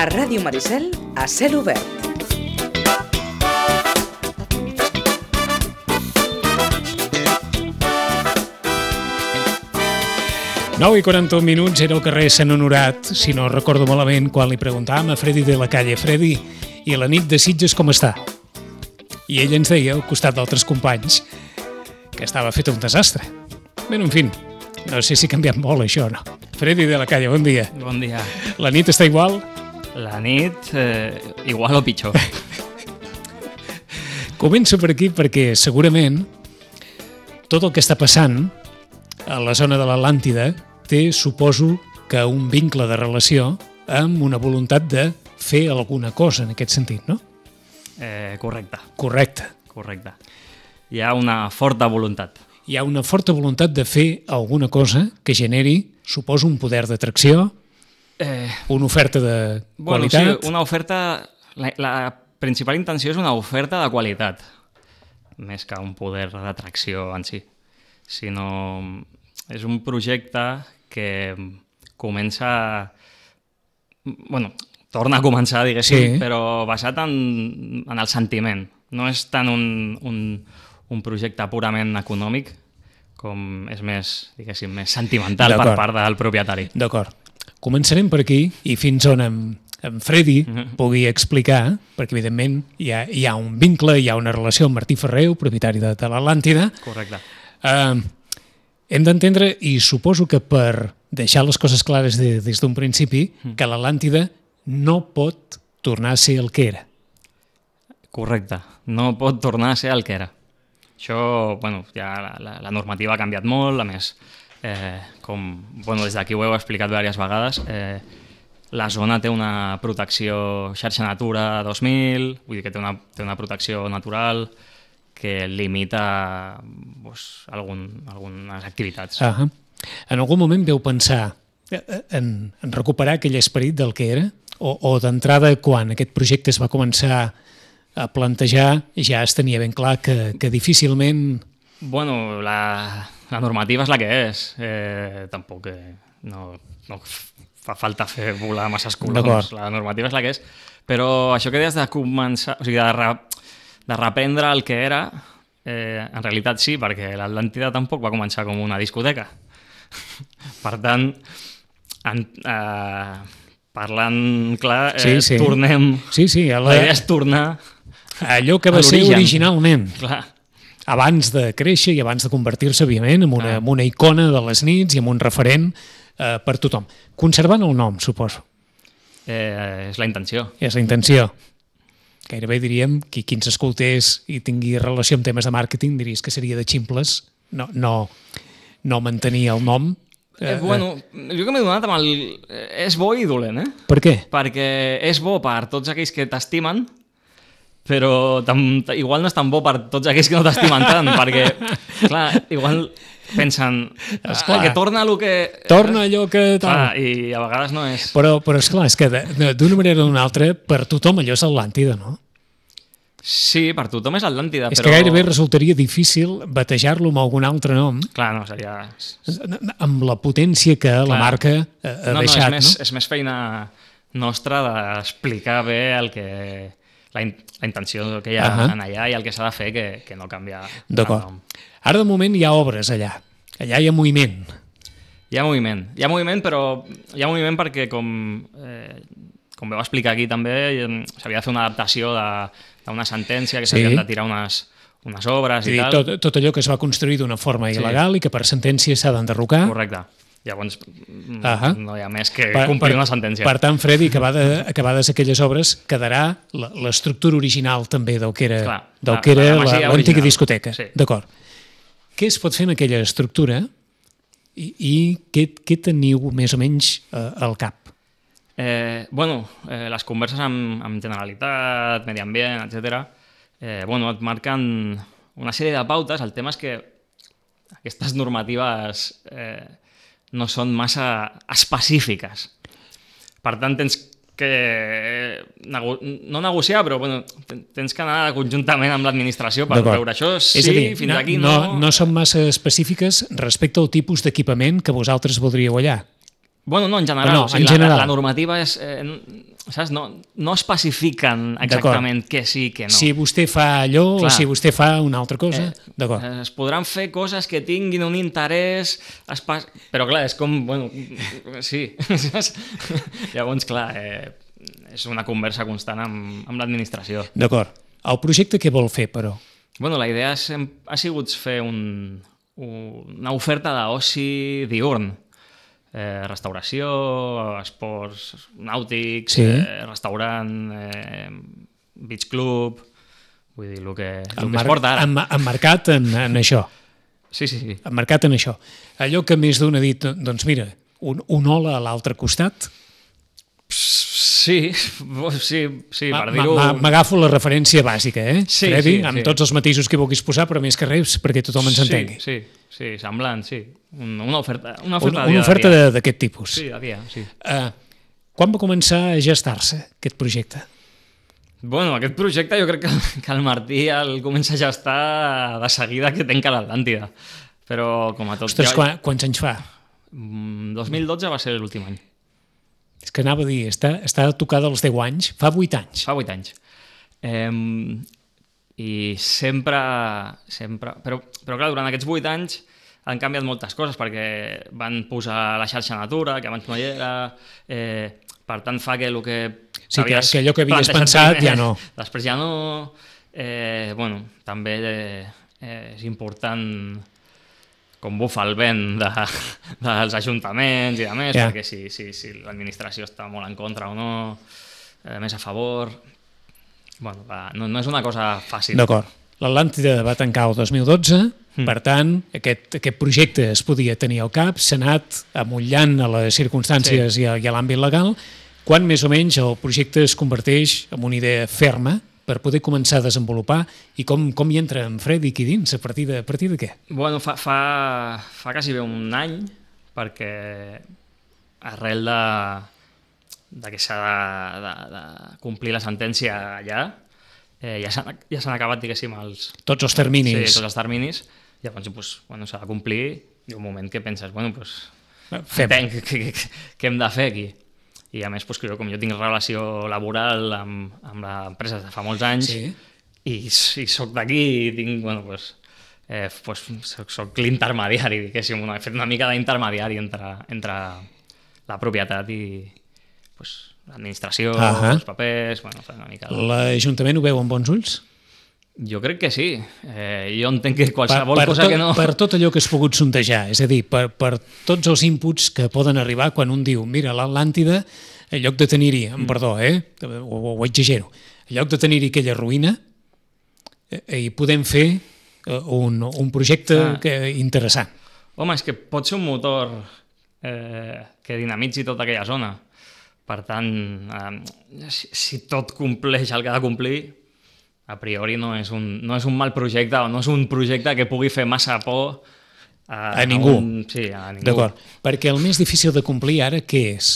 A Ràdio Maricel, a cel obert. Nou i 41 minuts, era al carrer Sant Honorat, si no recordo malament, quan li preguntàvem a Freddy de la Calle: Freddy, i la nit de Sitges com està? I ell ens deia, al costat d'altres companys, que estava fet un desastre. Bé, en fi, no sé si ha canviat molt això o no. Freddy de la Calle, bon dia. Bon dia. La nit està igual? La nit, igual o pitjor. Començo per aquí perquè segurament tot el que està passant a la zona de l'Atlàntida té, suposo, que un vincle de relació amb una voluntat de fer alguna cosa en aquest sentit, no? Correcte. Correcte. Hi ha una forta voluntat. Hi ha una forta voluntat de fer alguna cosa que suposo, un poder d'atracció, una oferta de qualitat. Bueno, sí, una oferta... La principal intenció és una oferta de qualitat, més que un poder d'atracció en si. Sinó és un projecte que comença... Bueno, torna a començar, diguéssim, sí. Però basat en el sentiment. No és tant un projecte purament econòmic, com és més, diguéssim, més sentimental per part del propietari. D'acord. Començarem per aquí i fins on en Freddy pugui explicar, perquè evidentment hi ha un vincle, hi ha una relació amb Martí Ferreu, propietari de l'Atlàntida. Correcte. Hem d'entendre, i suposo que per deixar les coses clares des d'un principi, que l'Atlàntida no pot tornar a ser el que era. Correcte, no pot tornar a ser el que era. Això, bueno, ja la normativa ha canviat molt, a més, des d'aquí ho heu explicat diverses vegades, la zona té una protecció xarxa Natura 2000, vull dir que té una protecció natural que limita algunes activitats. En algun moment veu pensar en recuperar aquell esperit del que era? O d'entrada, quan aquest projecte es va començar a plantejar, ja es tenia ben clar que difícilment... Bueno, la normativa és la que és. Tampoc no fa falta fer volar masses coloms. La normativa és la que és. Però això que deies de començar... O sigui, de reprendre el que era, en realitat sí, perquè l'Atlàntida tampoc va començar com una discoteca. Per tant, parlant clar, tornem... Sí, la idea és tornar allò que va ser originalment. Clar. Abans de créixer i abans de convertir-se, òbviament, en una icona de les nits i en un referent per tothom. Conservant el nom, suposo. És la intenció. És la intenció. Gairebé diríem que qui ens escoltés i tingui relació amb temes de màrqueting diries que seria de ximples no mantenir el nom. Bueno, jo que m'he donat amb el... És bo i dolent, Per què? Perquè és bo per tots aquells que t'estimen, però igual no és tan bo per tots aquells que no t'estimen tant, perquè, clar, igual pensen que torna allò que... Torna allò que... Clar, i a vegades no és... Però esclar, és que d'una manera o d'una altra, per tothom allò és Atlàntida, no? Sí, per tothom és Atlàntida, és que gairebé resultaria difícil batejar-lo amb algun altre nom. Clar, no, seria... Amb la potència que la marca ha deixat, no? És més feina nostra d'explicar bé el que... La intenció que hi ha en allà i el que s'ha de fer que no canvia. D'acord. Ara, de moment, hi ha obres allà. Allà hi ha moviment. Hi ha moviment, però hi ha moviment perquè, com vau explicar aquí també, s'havia de fer una adaptació d'una sentència, que s'havien de tirar unes obres i tal. Tot allò que es va construir d'una forma il·legal i que per sentència s'ha d'enderrocar. Correcte. Llavors no hi ha més que complir una sentència. Per tant, Freddy, acabades aquelles obres, quedarà l'estructura original també del que era l'antiga discoteca. Sí. D'acord. Què es pot fer en aquella estructura i què teniu més o menys al cap? Les converses amb Generalitat, Medi Ambient, etc. Et marquen una sèrie de pautes. El tema és que aquestes normatives no són massa específiques. Per tant, tens que no negociar, però tens que anar conjuntament amb l'administració per veure això. Sí, fins aquí no. No són massa específiques respecte al tipus d'equipament que vosaltres voldríeu allà. Bueno, no, en general. No, O sigui, en general. La normativa és... saps? No especifiquen exactament què sí, què no. Si vostè fa allò Clar. o si vostè fa una altra cosa, d'acord. Es podran fer coses que tinguin un interès... Però clar, és com... Bueno, sí. Llavors, clar, és una conversa constant amb l'administració. D'acord. El projecte què vol fer, però? Bueno, la idea ha sigut fer una oferta d'oci diürn. Restauració, esports nàutics, Sí. Restaurant, beach club, vull dir, el que es porta ara. Emmarcat en això. Sí. Emmarcat en això. Allò que més d'un ha dit, doncs mira, un hola a l'altre costat. Sí, per dir-ho... M'agafo la referència bàsica, Sí, Freddy? sí, Amb sí. tots els matisos que vulguis posar, però més que res perquè tothom ens entengui. Sí, semblant, sí. Una oferta Una dia oferta a dia. d'aquest tipus. Sí, a dia, sí. Quan va començar a gestar-se aquest projecte? Bueno, aquest projecte jo crec que el Martí el comença a gestar de seguida que tanca l'Atlàntida. Però com a tot... Ostres, quants anys fa? 2012 va ser l'últim any. És que anava a dir, està tocada als 10 anys, fa 8 anys. Fa 8 anys. I sempre... Però clar, durant aquests 8 anys han canviat moltes coses perquè van posar la xarxa Natura, que abans no hi era, per tant fa que el que... Sí, que allò que havies pensat ja no. Després ja no... Bueno, també és important com bufa el vent dels ajuntaments i de més, perquè si l'administració està molt en contra o no, més a favor... Bueno, no és una cosa fàcil. D'acord. L'Atlàntida va tancar el 2012, per tant, aquest projecte es podia tenir al cap, s'ha anat amollant a les circumstàncies i a l'àmbit legal. Quan més o menys el projecte es converteix en una idea ferma per poder començar a desenvolupar i com hi entra en Freddy aquí dins, a partir de què? Bueno, fa quasi bé un any, perquè arrel de que s'ha de complir la sentència allà, ja s'han acabat, diguéssim, tots els terminis. Sí, tots els terminis. Llavors, doncs, bueno, s'ha de complir i un moment que penses, bueno, doncs, entenc què hem de fer aquí. I a més, doncs, com jo tinc relació laboral amb l'empresa de fa molts anys i soc d'aquí i tinc, bueno, soc l'intermediari, diguéssim, he fet una mica d'intermediari entre la propietat i l'administració, els papers... Bueno, una mica... L'Ajuntament ho veu amb bons ulls? Jo crec que sí. Jo entenc que qualsevol cosa que no... Per tot allò que has pogut sondejar, és a dir, per tots els inputs que poden arribar quan un diu, mira, l'Atlàntida, en lloc de tenir-hi, perdó, ho exagero, en lloc de tenir-hi aquella ruïna, hi podem fer un projecte interessant. Home, és que pot ser un motor que dinamitzi tota aquella zona. Per tant, si tot compleix el que ha de complir, a priori no és un mal projecte o no és un projecte que pugui fer massa por a ningú. Sí, a ningú. D'acord. Perquè el més difícil de complir ara què és?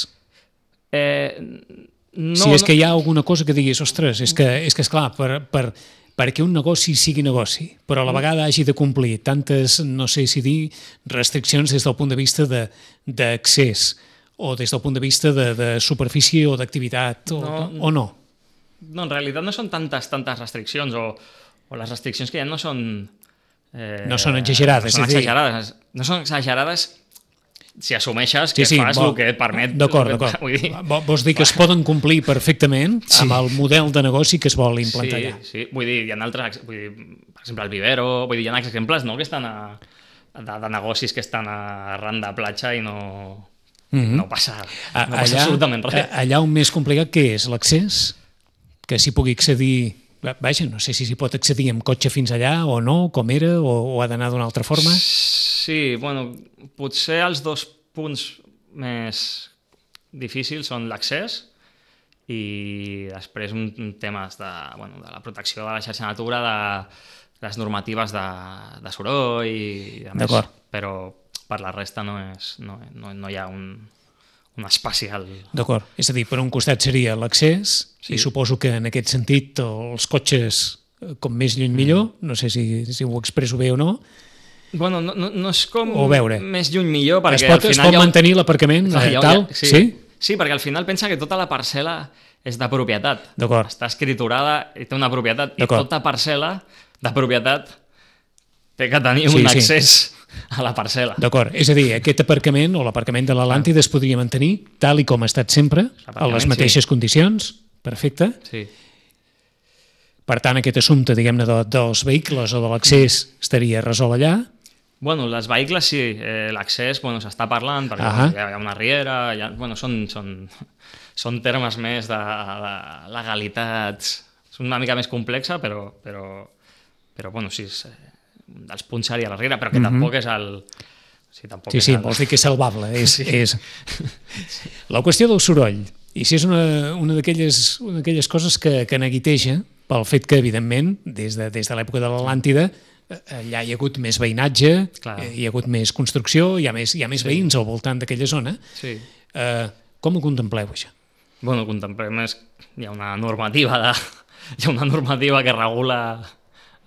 Si és que hi ha alguna cosa que diguis, ostres, és que esclar, perquè un negoci sigui negoci, però a la vegada hagi de complir tantes, no sé si dir, restriccions des del punt de vista d'accés o des del punt de vista de superfície o d'activitat o no? No, en realitat no són tantes restriccions o les restriccions que hi ha no són... no són exagerades. No són exagerades si assumeixes que fas el que et permet... D'acord. Vols dir que es poden complir perfectament amb el model de negoci que es vol implantar allà? Sí, vull dir, hi ha altres... Per exemple, el Vivero, hi ha exemples que estan de negocis que estan arran de platja i no passa absolutament res. Allà on més complicat què és? L'accés? Que s'hi pugui accedir... Vaja, no sé si s'hi pot accedir amb cotxe fins allà o no, com era, o ha d'anar d'una altra forma? Sí, bueno, potser els dos punts més difícils són l'accés i després un temes de la protecció de la xarxa Natura, de les normatives de soroll i de més, però per la resta no hi ha un espacial... D'acord, és a dir, per un costat seria l'accés i suposo que en aquest sentit els cotxes com més lluny millor, no sé si ho expresso bé o no, Bueno, no és com O veure. més lluny millor, perquè Es pot mantenir l'aparcament tal? Sí? Sí, perquè al final pensa que tota la parcel·la és de propietat. D'acord. Està escriturada i té una propietat. I D'acord. tota parcel·la de propietat té que tenir un Sí. accés a la parcel·la. D'acord, és a dir, aquest aparcament o l'aparcament de l'Atlàntida es podria mantenir tal i com ha estat sempre, a L'aparcament, les mateixes condicions, perfecte. Sí. Per tant, aquest assumpte, diguem-ne, dels vehicles o de l'accés estaria resolt allà. Bueno, les vehicles sí, l'accés s'està parlant perquè hi ha una riera, són termes més de legalitats, és una mica més complexa, però bueno, sí, dels punts seria la riera, però que tampoc és el... Sí, vols dir que és salvable. És... La qüestió del soroll, i si és una d'aquelles coses que neguiteja pel fet que, evidentment, des de l'època de l'Atlàntida, allà hi ha hagut més veïnatge, hi ha hagut més construcció, hi ha més veïns al voltant d'aquella zona. Sí. Com ho contempleu, això? Bueno, contemplem hi ha una normativa que regula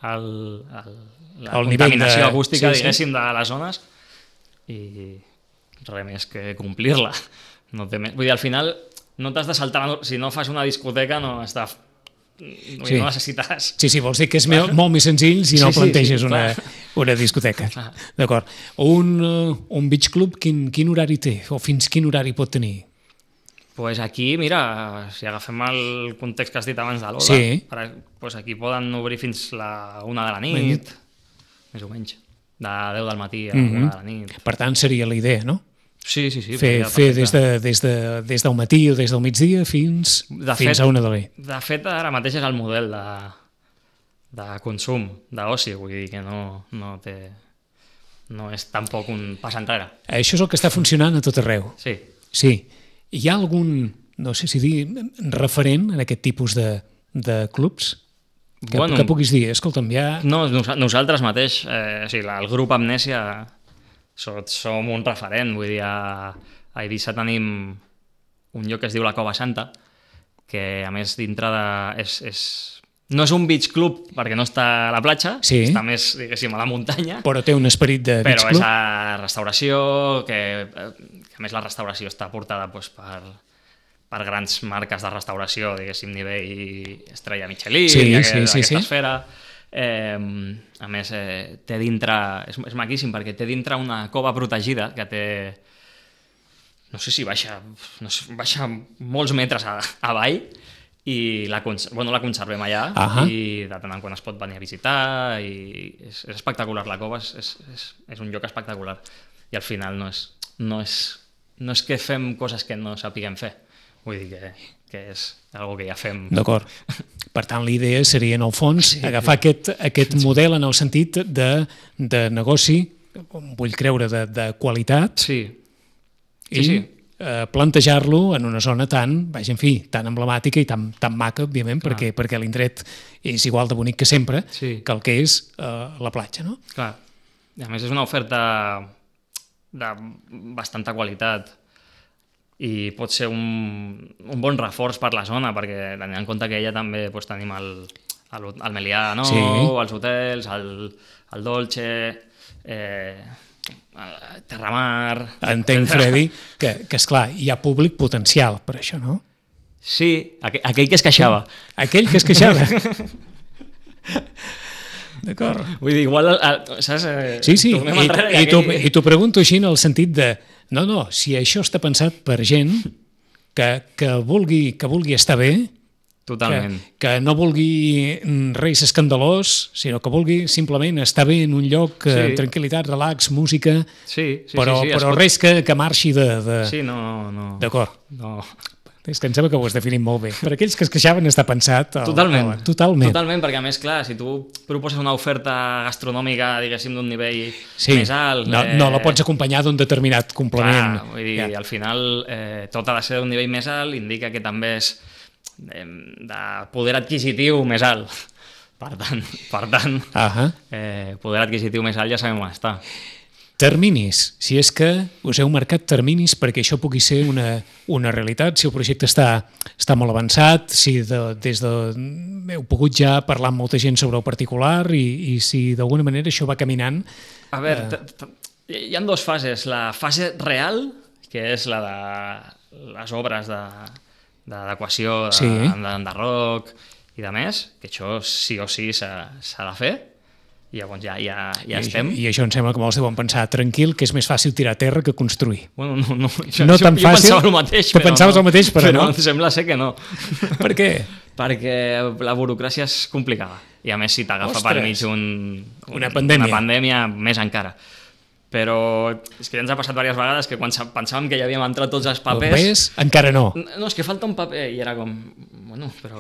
la contaminació acústica, diguéssim, de les zones, i res més que complir-la. Vull dir, al final no t'has de saltar, si no fas una discoteca no necessites... Sí, vols dir que és molt més senzill si no planteges una discoteca. D'acord. Un beach club, quin horari té? O fins quin horari pot tenir? Pues aquí, mira, si agafem el context que has dit abans de l'Oda, pues aquí poden obrir fins la 1 de la nit, més o menys, de 10 del matí a 1 de la nit. Per tant, seria la idea, no? Sí. Fer des del matí o des del migdia fins a 1 de la nit. De fet, ara mateix és el model de consum, d'oci, vull dir que no és tampoc un pas enrere. Això és el que està funcionant a tot arreu. Sí. Hi ha algun, no sé si dir, referent en aquest tipus de clubs? Que puguis dir, escolta'm, ja... No, nosaltres mateix, el grup Amnèsia, som un referent, vull dir, a Eivissa tenim un lloc que es diu la Cova Santa, que a més dintre de... No és un beach club perquè no està a la platja, està més, diguéssim, a la muntanya. Però té un esperit de beach club. Però és a restauració, que a més la restauració està portada per grans marques de restauració, diguéssim, nivell Estrella Michelin, aquesta esfera. A més, té dintre... És maquíssim perquè té dintre una cova protegida que té... No sé si baixa molts metres avall, i la conservem allà, i de tant en quan es pot venir a visitar, i és espectacular. La cova és un lloc espectacular, i al final no és que fem coses que no sapiguem fer, vull dir que és algo que ja fem. D'acord. Per tant, l'idea seria, en el fons, agafar aquest model en el sentit de negoci, vull creure, de qualitat, i plantejar-lo en una zona tan emblemàtica i tan maca, òbviament, perquè l'indret és igual de bonic que sempre, que el que és la platja, no? Clar. I a més és una oferta de bastanta qualitat i pot ser un bon reforç per la zona, perquè tenint en compte que ella també tenim el Melià nou, els hotels, el Dolce... Terramar... Entenc, Freddy, que esclar, hi ha públic potencial per això, no? Sí, aquell que es queixava. Aquell que es queixava. D'acord. Vull dir, igual... Saps? Sí, i t'ho pregunto així en el sentit de... No, si això està pensat per gent que vulgui estar bé, totalment. Que no vulgui res escandalós, sinó que vulgui simplement estar bé en un lloc amb tranquil·litat, relax, música, però res que marxi de... Sí, no. D'acord. No. És que em sembla que ho has definit molt bé. Per aquells que es queixaven està pensat... Totalment. Totalment, perquè a més, clar, si tu proposes una oferta gastronòmica, diguéssim, d'un nivell més alt... No la pots acompanyar d'un determinat complement. Clar, vull dir, al final tot ha de ser d'un nivell més alt, indica que també és de poder adquisitiu més alt. Per tant, poder adquisitiu més alt ja sabem on està. Terminis, si és que us heu marcat terminis perquè això pugui ser una realitat, si el projecte està molt avançat, si heu pogut ja parlar amb molta gent sobre el particular i si d'alguna manera això va caminant. A veure, hi ha dues fases. La fase real, que és la de les obres d'adequació, d'enderroc i de més, que això sí o sí s'ha de fer. I llavors ja estem. I això em sembla que molts deuen pensar tranquil, que és més fàcil tirar a terra que construir. Bueno, no tan fàcil. Jo pensava el mateix, tu pensaves el mateix, però no. Sembla ser que no. Per què? Perquè la burocràcia és complicada. I a més, si t'agafa per mig una pandèmia, més encara. Però és que ja ens ha passat diverses vegades que quan pensàvem que ja havíem entrat tots els papers... encara no. No, és que falta un paper. I era com... Bueno, però...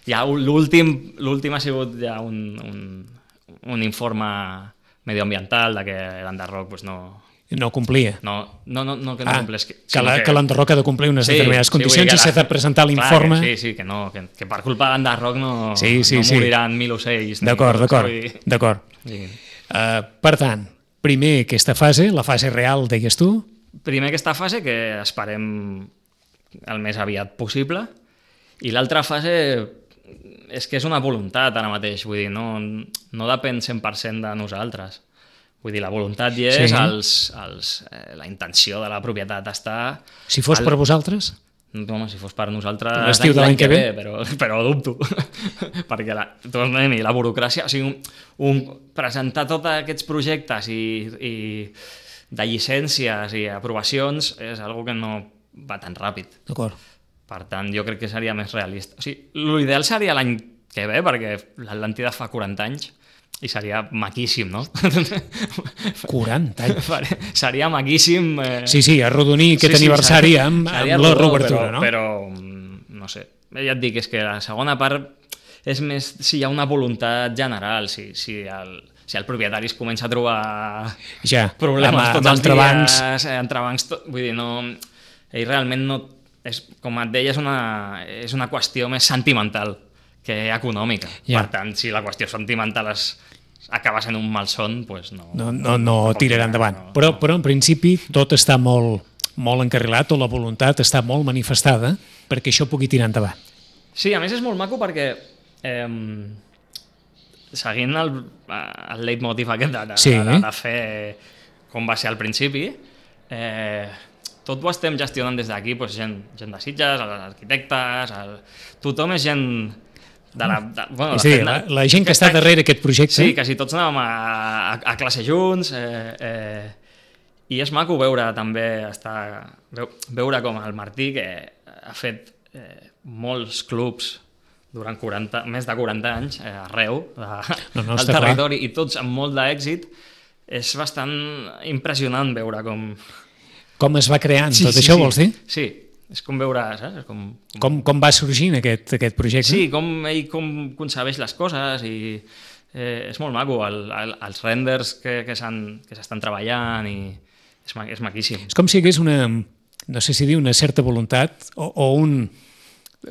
Ja l'últim ha sigut ja un informe medioambiental de que l'enderroc pues, no complia. No que no complés. Que l'enderroc ha de complir unes determinades condicions i s'ha de presentar l'informe. Sí, que no, que per culpa de l'enderroc no moriran 1.000 ocells. D'acord. Sí. Per tant, primer aquesta fase, la fase real, deies tu? Primer aquesta fase, que esperem el més aviat possible, i l'altra fase és que és una voluntat ara mateix, vull dir, no depèn 100% de nosaltres. Vull dir, la voluntat hi és, la intenció de la propietat està... Si fos per vosaltres? No, si fos per nosaltres l'estiu de l'any que ve, però dubto. Perquè la burocràcia... O sigui, presentar tots aquests projectes i de llicències i aprovacions és algo que no va tan ràpid. D'acord. Per tant, jo crec que seria més realista. O sigui, l'ideal seria l'any que ve, perquè l'Atlàntida fa 40 anys i seria maquíssim, no? 40 anys? Seria maquíssim... Sí, arrodonir aquest aniversari amb la reobertura, no? Però, no sé, ja et dic, és que la segona part és més si hi ha una voluntat general, si el propietari es comença a trobar problemes tots els dies, entrebancs, vull dir, no... Ell realment no... Com et deia, és una qüestió més sentimental que econòmica. Per tant, si la qüestió sentimental acaba sent un malson, doncs no tirarà endavant. Però en principi tot està molt encarrilat, o la voluntat està molt manifestada perquè això pugui tirar endavant. Sí, a més és molt maco perquè seguint el leitmotiv aquest de fer com va ser al principi, tot ho estem gestionant des d'aquí, doncs gent de Sitges, els arquitectes, tothom és gent de la... la gent que està darrere aquest projecte. Sí, quasi tots anàvem a classe junts, i és maco veure també, veure com el Martí, que ha fet molts clubs durant més de 40 anys arreu del territori, i tots amb molt d'èxit. És bastant impressionant veure com es va creant tot això, vols dir? Sí, és com veure... Saps? Com va sorgint aquest projecte? Sí, com ell concebeix les coses, i és molt maco, els renders que s'estan treballant, i és maquíssim. És com si hi hagués no sé si dir una certa voluntat, o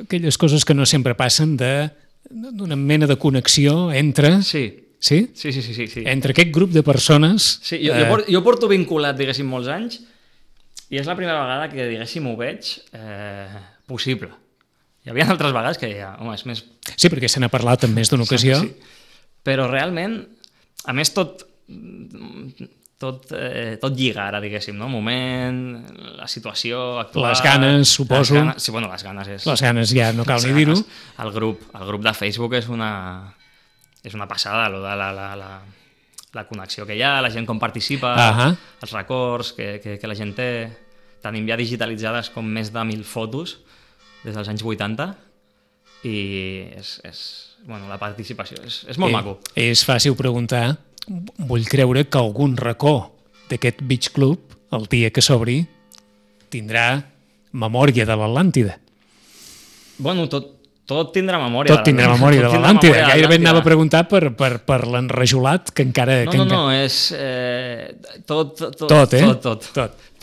aquelles coses que no sempre passen, d'una mena de connexió entre... Sí. Sí? Sí. Entre aquest grup de persones... Sí, jo porto vinculat, diguéssim, molts anys, i és la primera vegada que, diguéssim, ho veig possible. Hi havia altres vegades que home, és més... Sí, perquè se n'ha parlat en més d'una ocasió. Sí. Però realment, a més, tot lliga ara, diguéssim, no? El moment, la situació actual... Les ganes, suposo. Sí, bueno, les ganes és... Les ganes ja no cal ni dir-ho. El grup de Facebook és una passada, la connexió que hi ha, la gent com participa, els records que la gent té. Tenim ja digitalitzades com més de 1.000 fotos des dels anys 80, i la participació és molt maco. És fàcil preguntar, vull creure que algun racó d'aquest Beach Club, el dia que s'obri, tindrà memòria de l'Atlàntida. Bueno, tot tindrà memòria. Tot tindrà memòria de l'Atlàntida. Gairebé anava a preguntar per l'enrajolat, que encara... No, és... Tot.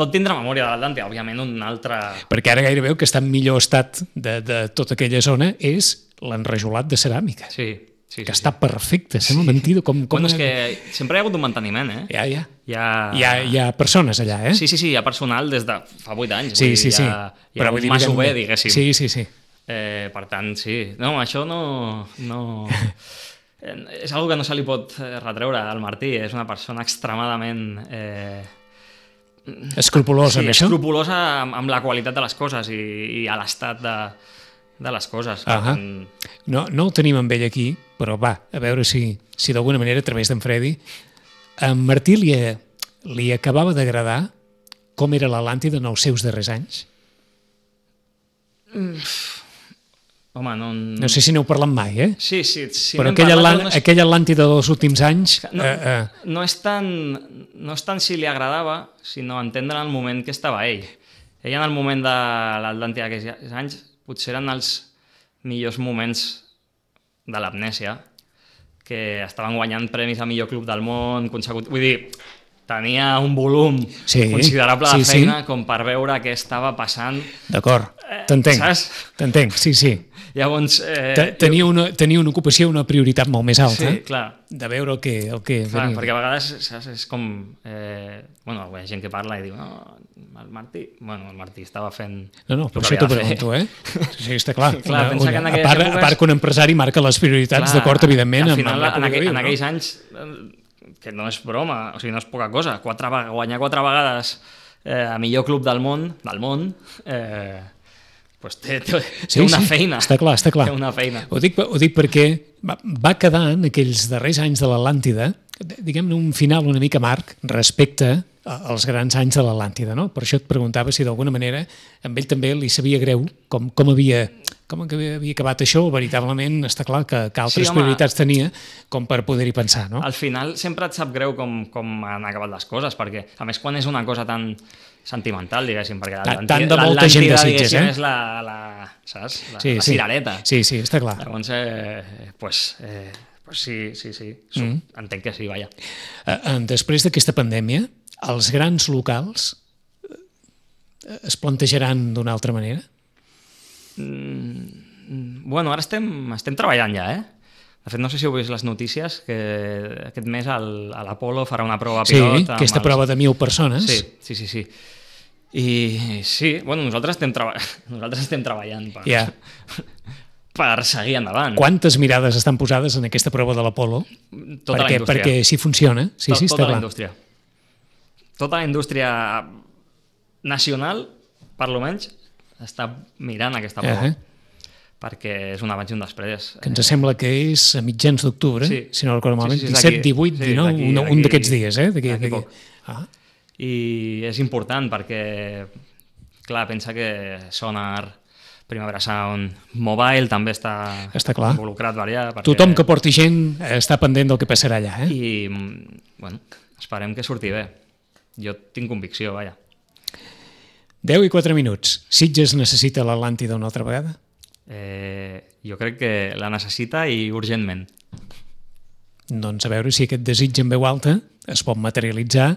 Tot tindrà memòria de l'Atlàntida, òbviament un altre... Perquè ara gairebé el que està en millor estat de tota aquella zona és l'enrajolat de ceràmica. Sí, Sí, que sí, està perfecte, sembla mentida. Bueno, és que sempre hi ha hagut un manteniment, eh? Hi ha persones allà, eh? Sí, hi ha personal des de fa 8 anys. Sí. Hi ha Però un masover, diguéssim. Sí. Per tant, sí. No, això no... és una que no se li pot retreure al Martí. És una persona extremadament... Escrupulosa, amb això? Escrupulosa amb la qualitat de les coses i a l'estat de les coses. No ho tenim amb ell aquí, però va, a veure si d'alguna manera, a través d'en Freddy, a en Martí li acabava d'agradar com era l'Atlàntida en els seus darrers anys? Home, no sé si n'heu parlat mai, eh? Sí. Però aquell Atlàntida dels últims anys... No és tant si li agradava, sinó entendre el moment que estava ell. Ell en el moment de l'Atlàntida d'aquells anys potser eren els millors moments de l'amnèsia, que estaven guanyant premis a millor club del món consecutiu. Vull dir, tenia un volum considerable de feina com per veure què estava passant. D'acord, t'entenc, sí. Llavors... Tenia una ocupació, una prioritat molt més alta. Sí, clar. De veure el que clar, perquè a vegades és com... Bueno, hi ha gent que parla i diu el Martí estava fent... No, per això t'ho pregunto, eh? Sí, està clar. Pensa que en aquelles èpoques... A part que un empresari marca les prioritats d'acord, evidentment. Al final, en aquells anys, que no és broma, o sigui, no és poca cosa, guanyar 4 vegades a millor club del món, pues té una feina. Està clar. Té una feina. Ho dic perquè va quedar en aquells darrers anys de l'Atlàntida, diguem-ne, un final una mica amarg respecte als grans anys de l'Atlàntida, no? Per això et preguntava si d'alguna manera amb ell també li sabia greu com havia acabat això, veritablement està clar que altres prioritats tenia com per poder-hi pensar, no? Al final sempre et sap greu com han acabat les coses, perquè a més quan és una cosa tan sentimental, diguéssim, perquè tant de molta gent de Sitges, és la cirereta. Sí, està clar. Llavors, sí. Entenc que sí, vaja. Després d'aquesta pandèmia, els grans locals es plantejaran d'una altra manera? Bueno, ara estem treballant ja, eh? De fet, no sé si heu vist les notícies que aquest mes a l'Apolo farà una prova pilot. Sí, aquesta prova de 1.000 persones. Sí. I sí, bueno, nosaltres estem treballant per seguir endavant. Quantes mirades estan posades en aquesta prova de l'Apolo? Tota la indústria. Perquè si funciona. Sí, està clar. Tota la indústria. Tota la indústria nacional, per lo menys, està mirant aquesta prova. Perquè és un abans i un després. Que ens sembla que és a mitjans d'octubre, si no recordo malament, 17, 18, 19, un d'aquests dies. D'aquí poc. I és important perquè, clar, pensa que Sonar, Primavera Sound, Mobile també està involucrat allà. Tothom que porti gent està pendent del que passarà allà. I, bueno, esperem que surti bé. Jo tinc convicció, vaja. 10 i 4 minuts. Sitges necessita l'Atlàntida una altra vegada? Jo crec que la necessita i urgentment. Doncs a veure si aquest desig en veu alta es pot materialitzar,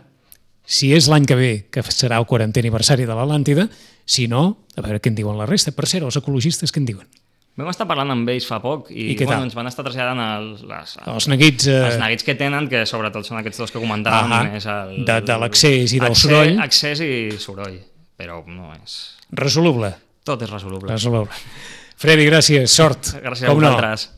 si és l'any que ve, que serà el 40è aniversari de l'Atlàntida, si no, a veure què en diuen la resta. Per cert, els ecologistes què en diuen? Vam estar parlant amb ells fa poc i ens van estar traslladant els neguits... Els neguits que tenen, que sobretot són aquests dos que comentàvem. De l'accés i del soroll. Accés i soroll, però no és... Resoluble. Tot és resoluble. Freddy, gràcies, sort. Gràcies a vosaltres.